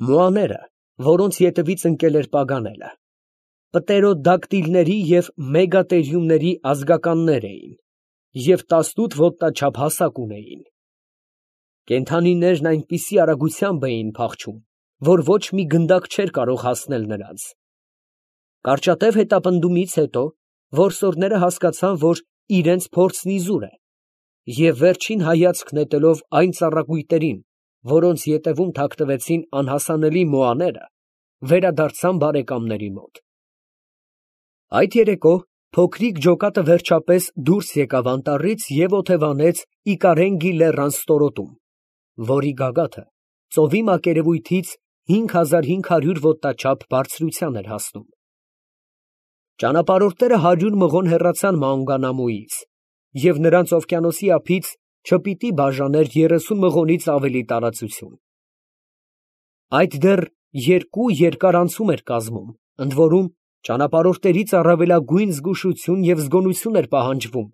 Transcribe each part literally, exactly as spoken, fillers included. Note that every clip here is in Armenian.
Մոաները, որոնց ետևից ընկել էր Պագանելը, պտերոդակտիլների և մեգատերիումների ազգականներ էին և տասնութ ոտնաչափ հասակ ունեին. կենդանիներն այնպիսի արագությամբ էին փախչում, որ ոչ մի գնդակ չէր կարող հասնել նրանց։ Կարճատև հետապնդումից հետո որսորդները հասկացան, որ իրենց փորձն իզուր է, և վերջին հայացք նետելով այն ծառակույտերին, որոնց ետևում թաքնվեցին անհասանելի մոաները, վերադարձան բարեկամների մոտ։ Այդ երեկո փոքրիկ ջոկատը վերջապես դուրս եկավ անտառից և օթևանեց Իկարենգի լեռան ստորոտում, որի գագաթը ծովի մակերևույթից հինգ հազար հինգ հարյուր ոտնաչափ բարձրության էր հասնում։ Ճանապարհորդները հարյուր մղոն հեռացան Մաունգանամուից, և նրանց օվկիանոսի ափից չպիտի բաժաներ երեսուն մղոնից ավելի տարածություն։ Այդ դեռ երկու երկար անցում էր կազմում, ընդորում ճանապարհորդներից առավելագույն զգուշություն և զգոնություն էր պահանջվում,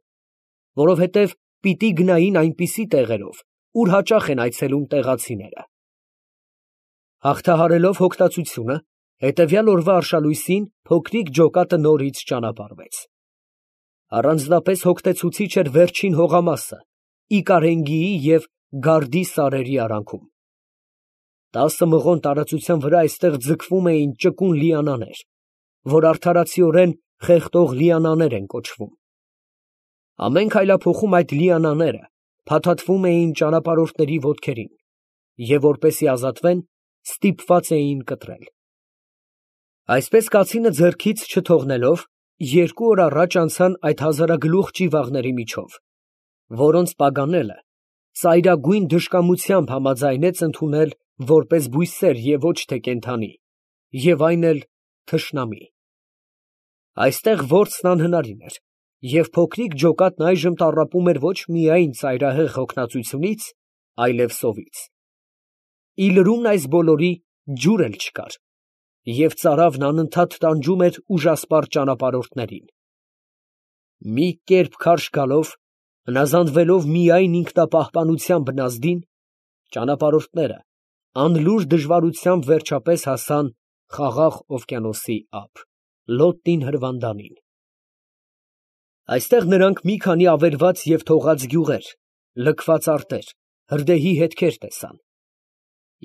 որովհետև պիտի գնային այնպիսի տեղերով, ուր հաճախ են այցելում տեղացիները։ Հաղթահարելով հոգտացությունը, հետևյալ օրվա արշալույսին փոքրիկ ջոկատը նորից ճանապարհվեց։ Առանձնապես հոգնեցուցիչ էր վերջին հողամասը Իկարենգիի և Գարդի սարերի արանքում։ Տասը մղոն տարածության վրա այստեղ ձգվում էին ճկուն լիանաներ, որ արդարացիորեն խեղդող լիանաներ են կոչվում։ Ամեն քայլափոխում այդ լիանաները փաթաթվում էին ճանապարհորդների ոտքերին և, որպեսզի ազատվեն, ստիպված էին կտրել։ Այսպես կացինը ձեռքից չթողնելով, երկու օր առաջ անցան այդ հազարագլուխ ճիվաղների միջով, որոնց Պագանելը ծայրագույն դժկամությամբ համաձայնեց ընդունել որպես բույսեր և ոչ թե կենդանի, և այն էլ թշնամի։ Այստեղ որսն անհնարին էր, և փոքրիկ ջոկատն այժմ տառապում էր ոչ միայն ծայրահեղ հոգնածությունից, այլև սովից։ Ի լրումն այս բոլորի ջուր էլ չկար, և ծարավն անընդհատ տանջում էր ուժասպառ ճանապարհորդներին։ Մի կերպ քարշ գալով, հնազանդվելով միայն ինքնապահպանության բնազդին, ճանապարհորդները անլուր դժվարությամբ վերջապես հասան Խաղաղ օվկիանոսի ափ, Լոտտին հրվանդանին։ Այստեղ նրանք մի քանի ավերված և թողած գյուղեր, լքված արտեր, հրդեհի հետքեր տեսան։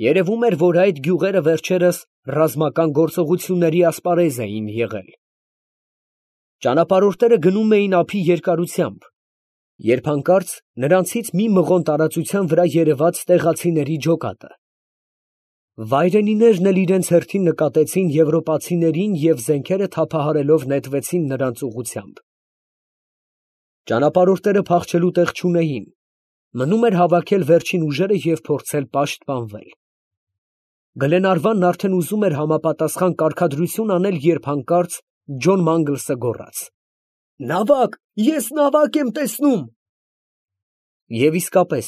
Երևում էր, որ այդ գյուղերը վերջերս ռազմական գործողությունների ասպարեզ էին եղել։ Ճանապարհորդները գնում էին ափի երկարությամբ, երբ հանկարծ նրանցից մի մղոն տարածության վրա երևաց տեղացիների ջոկատը։ Վայրենիներն էլ իրենց հերթին նկատեցին եվրոպացիներին և զենքերը թափահարելով նետվեցին նրանց ուղղությամբ։ Ճանապարհորդները փախչելու տեղ չունեին, մնում էր հավաքել վերջին ուժերը և փորձել պաշտպանվել։ Գլենարվանն արդեն ուզում էր համապատասխան կարգադրություն անել, երբ հանկարծ Ջոն Մանգլսը գոռաց. «Նավակ, ես նավակ եմ տեսնում»։ Եվ իսկապես,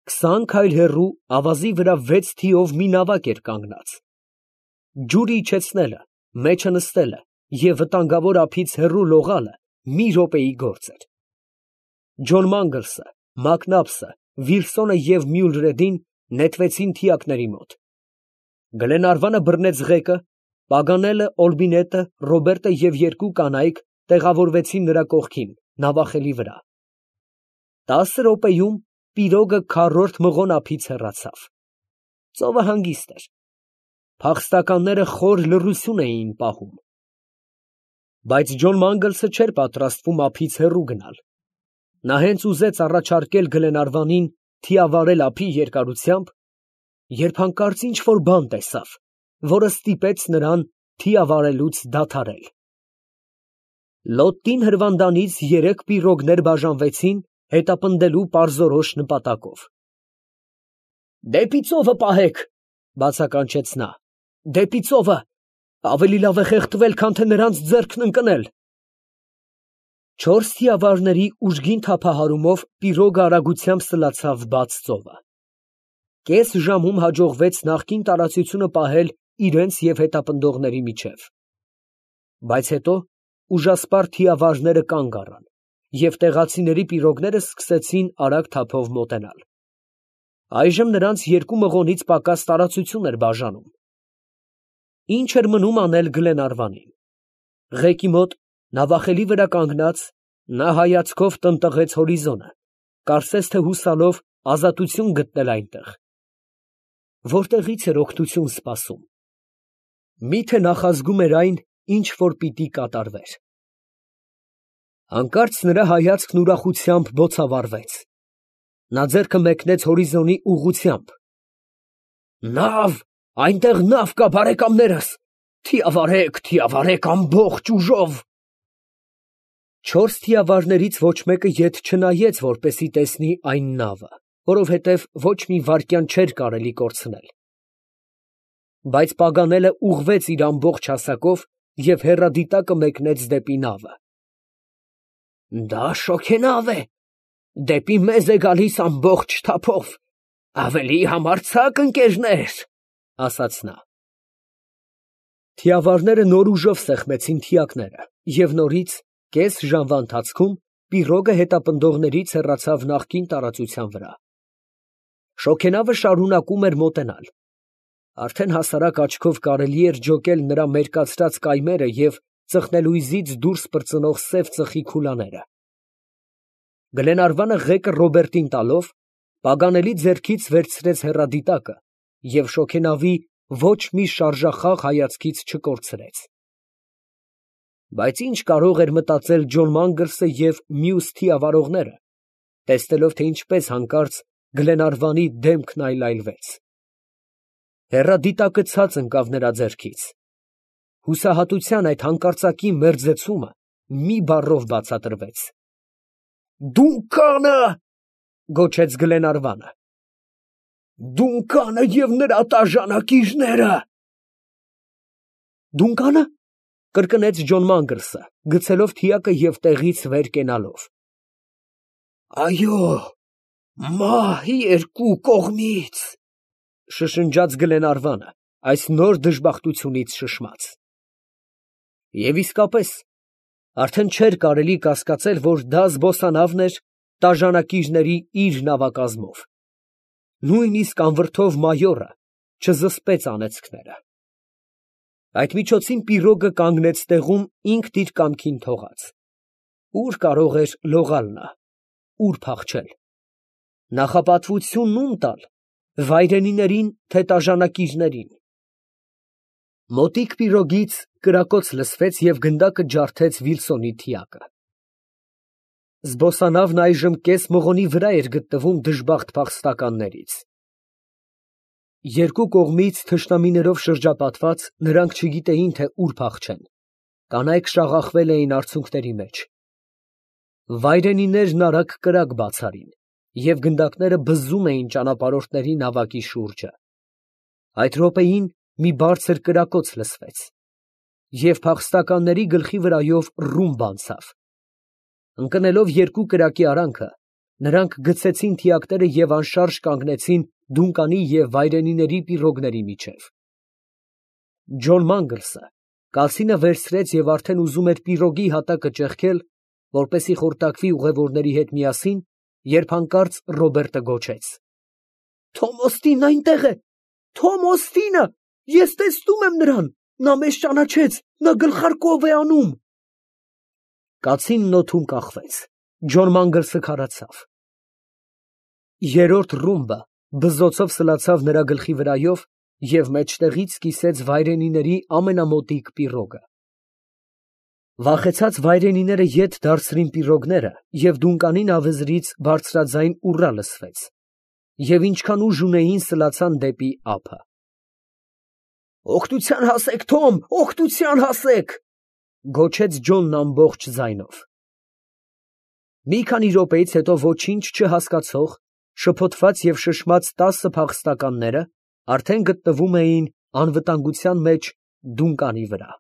քսան քայլ հեռու ավազի վրա վեց թիով մի նավակ էր կանգնած։ Ջուրը իջեցնելը, մեջը նստելը և վտանգավոր ափից հեռու լողալը մի րոպեի գործ էր։ Ջոն Մանգլսը, Մակնաբսը, Վիլսոնը և Մյուլրեդին նետվեցին թիակների մոտ։ Գլենարվանը բռնեց ղեկը, Պագանելը, Օլբինետը, Ռոբերտը և երկու կանայք տեղավորվեցին նրա կողքին, նավախելի վրա։ Տասը րոպեում պիրոգը քառորդ մղոն ափից հեռացավ։ Ծովը հանգիստ էր։ Փախստականները խոր լռություն էին պահում։ Բայց Ջոն Մանգլսը չէր պատրաստվում ափից հեռու գնալ։ Նա հենց ուզեց առաջարկել Գլենարվանին թիավարել ափի երկարությամբ, երբ հանկարծ ինչ֊որ բան տեսավ, որը ստիպեց նրան թիավարելուց դադարել։ Լոտտին հրվանդանից երեք պիրոգներ բաժանվեցին հետապնդելու պարզորոշ նպատակով։ «Դեպի ծովը պահեք», ֊ բացականչեց նա, ֊ «դեպի ծովը, ավելի լավ է խեղդվել, քան թե նրանց ձեռքն ընկնել»։ Չորս թիավարների ուժգին թափահարումով պիրոգը արագությամբ սլացավ բաց ծովը։ Կես ժամում հաջողվեց նախկին տարածությունը պահել իրենց և հետապնդողների միջև։ Բայց հետո ուժասպառ թիավարները կանգ առան, և տեղացիների պիրոգները սկսեցին արագ թափով մոտենալ։ Այժմ նրանց երկու մղոնից պակաս տարածություն էր բաժանում, Ինչ էր մնում անել Գլենարվանին։ Ղեկի մոտ նավախելի վրա կանգնած, նա հայացքով տնտղեց հորիզոնը, կարծես թե հուսալով ազատություն գտնել այնտեղ։ Որտեղից էր օգնություն սպասում։ Միթե նախազգում էր այն, ինչ որ պիտի կատարվեր։ Հանկարծ նրա հայացքն ուրախությամբ բոցավառվեց։ Նա ձեռքը մեկնեց հորիզոնի ուղղությամբ։ Նավ, այնտեղ նավ կա, բարեկամներս, թիավարեք, թիավարեք ամբողջ ուժով։ Չորս թիավարներից ոչ մեկը ետ չնայեց, որպեսի տեսնի այն նավը, որովհետև ոչ մի վայրկյան չէր կարելի կորցնել։ Բայց Պագանելը ուղղվեց իր ամբողջ հասակով և հեռադիտակը մեկնեց դեպի նավը։ Դա շոգենավ է, դեպի մեզ է գալիս ամբողջ թափով, ավելի համարձակ ընկերներ, ասաց նա։ Թիավարները նոր ուժով սեղմեցին թիակները, և նորից, կես ժամվա ընթացքում, պիրոգը հետապնդողներից հեռացավ նախկին տարածության վրա։ Շոգենավը շարունակում էր մոտենալ։ Արդեն հասարակ աչքով կարելի էր ջոկել նրա մերկացրած կայմերը և ծխնելույզից դուրս պրծնող սև ծխի քուլաները։ Գլենարվանը ղեկը Ռոբերտին տալով, Պագանելի ձեռքից վերցրեց հեռադիտակը և շոգենավի ոչ մի շարժախաղ հայացքից չկորցրեց։ Բայց ինչ կարող էր մտածել Ջոն Մանգլսը և մյուս թիավարողները, տեսնելով, թե ինչպես հանկարծ Գլենարվանի դեմքն այլայլվեց։ Հեռադիտակը ցած ընկավ նրա ձեռքից։ Հուսահատության այդ հանկարծակի մերձեցումը մի բառով բացատրվեց։ Դունկանը, գոչեց Գլենարվանը։ Դունկանը և նրա տաժանակիչները։ Դունկանը, կրկնեց Ջոն Մանգլսը, գցելով թիակը և տեղից վեր կենալով։ Այո, մահ երկու կողմից, շշնջաց Գլենարվանը, այս նոր դժբախտությունից շշմած։ Եվ իսկապես, արդեն չէր կարելի կասկածել, որ դա զբոսանավն էր տաժանակիչների իր նավակազմով։ Նույնիսկ անվրդով մայորը չզսպեց անեծքները։ Այդ միջոցին պիրոգը կանգնեց տեղում ինքն իր կամքին թողած։ Ուր կարող էր լողալ նա, ուր փախչել։ Նախապատվություն ում տալ, վայրենիներին, թե տաժանակիչներին։ Մոտիկ պիրոգից կրակոց լսվեց և գնդակը ջարդեց Վիլսոնի թիակը։ Զբոսանավն այժմ կես մղոնի վրա էր գտնվում դժբախտ փախստականներից։ Երկու կողմից թշնամիներով շրջապատված, նրանք չգիտեին, թե ուր փախչեն։ Կանայք շաղախվել էին արցունքների մեջ։ Վայրենիներն արագ կրակ բաց արին, և գնդակները բզում էին ճանապարհորդների նավակի շուրջը։ Այդ րոպեին մի բարձր կրակոց լսվեց, և փախստականների գլխի վրայով ռումբ անցավ։ Ընկնելով երկու կրակի արանքը, նրանք գցեցին թիակները և անշարժ կանգնեցին Դունկանի և վայրենիների պիրոգների միջև։ Ջոն Մանգլսը կացինը վերցրեց և արդեն ուզում էր պիրոգի հատակը ճեղքել, որպեսզի խորտակվի ուղևորների հետ միասին, երբ հանկարծ Ռոբերտը գոչեց. Թոմ Օստինն այնտեղ է, Թոմ Օստինը, ես տեսնում եմ նրան, նա մեզ ճանաչեց, նա գլխարկով է անում։ Կացինն օդում կախվեց, Ջոն Մանգլսը քարացավ։ Երրորդ ռումբը բզզոցով սլացավ նրա գլխի վրայով և մեջտեղից կիսեց վայրենիների ամենամոտիկ պիրոգը։ Վախեցած վայրենիները ետ դարձրին պիրոգները, և Դունկանի նավեզրից բարձրաձայն ուռա լսվեց, և ինչքան ուժ ունեին, սլացան դեպի ափը։ Օգնության հասեք, Թոմ, օգնության հասեք, գոչեց Ջոնն ամբողջ ձայնով։ Մի քանի րոպեից հետո ոչինչ չհասկացող, շփոթված և շշմած տասը փախստականները արդեն գտնվում էին անվտանգության մեջ Դունկանի վրա։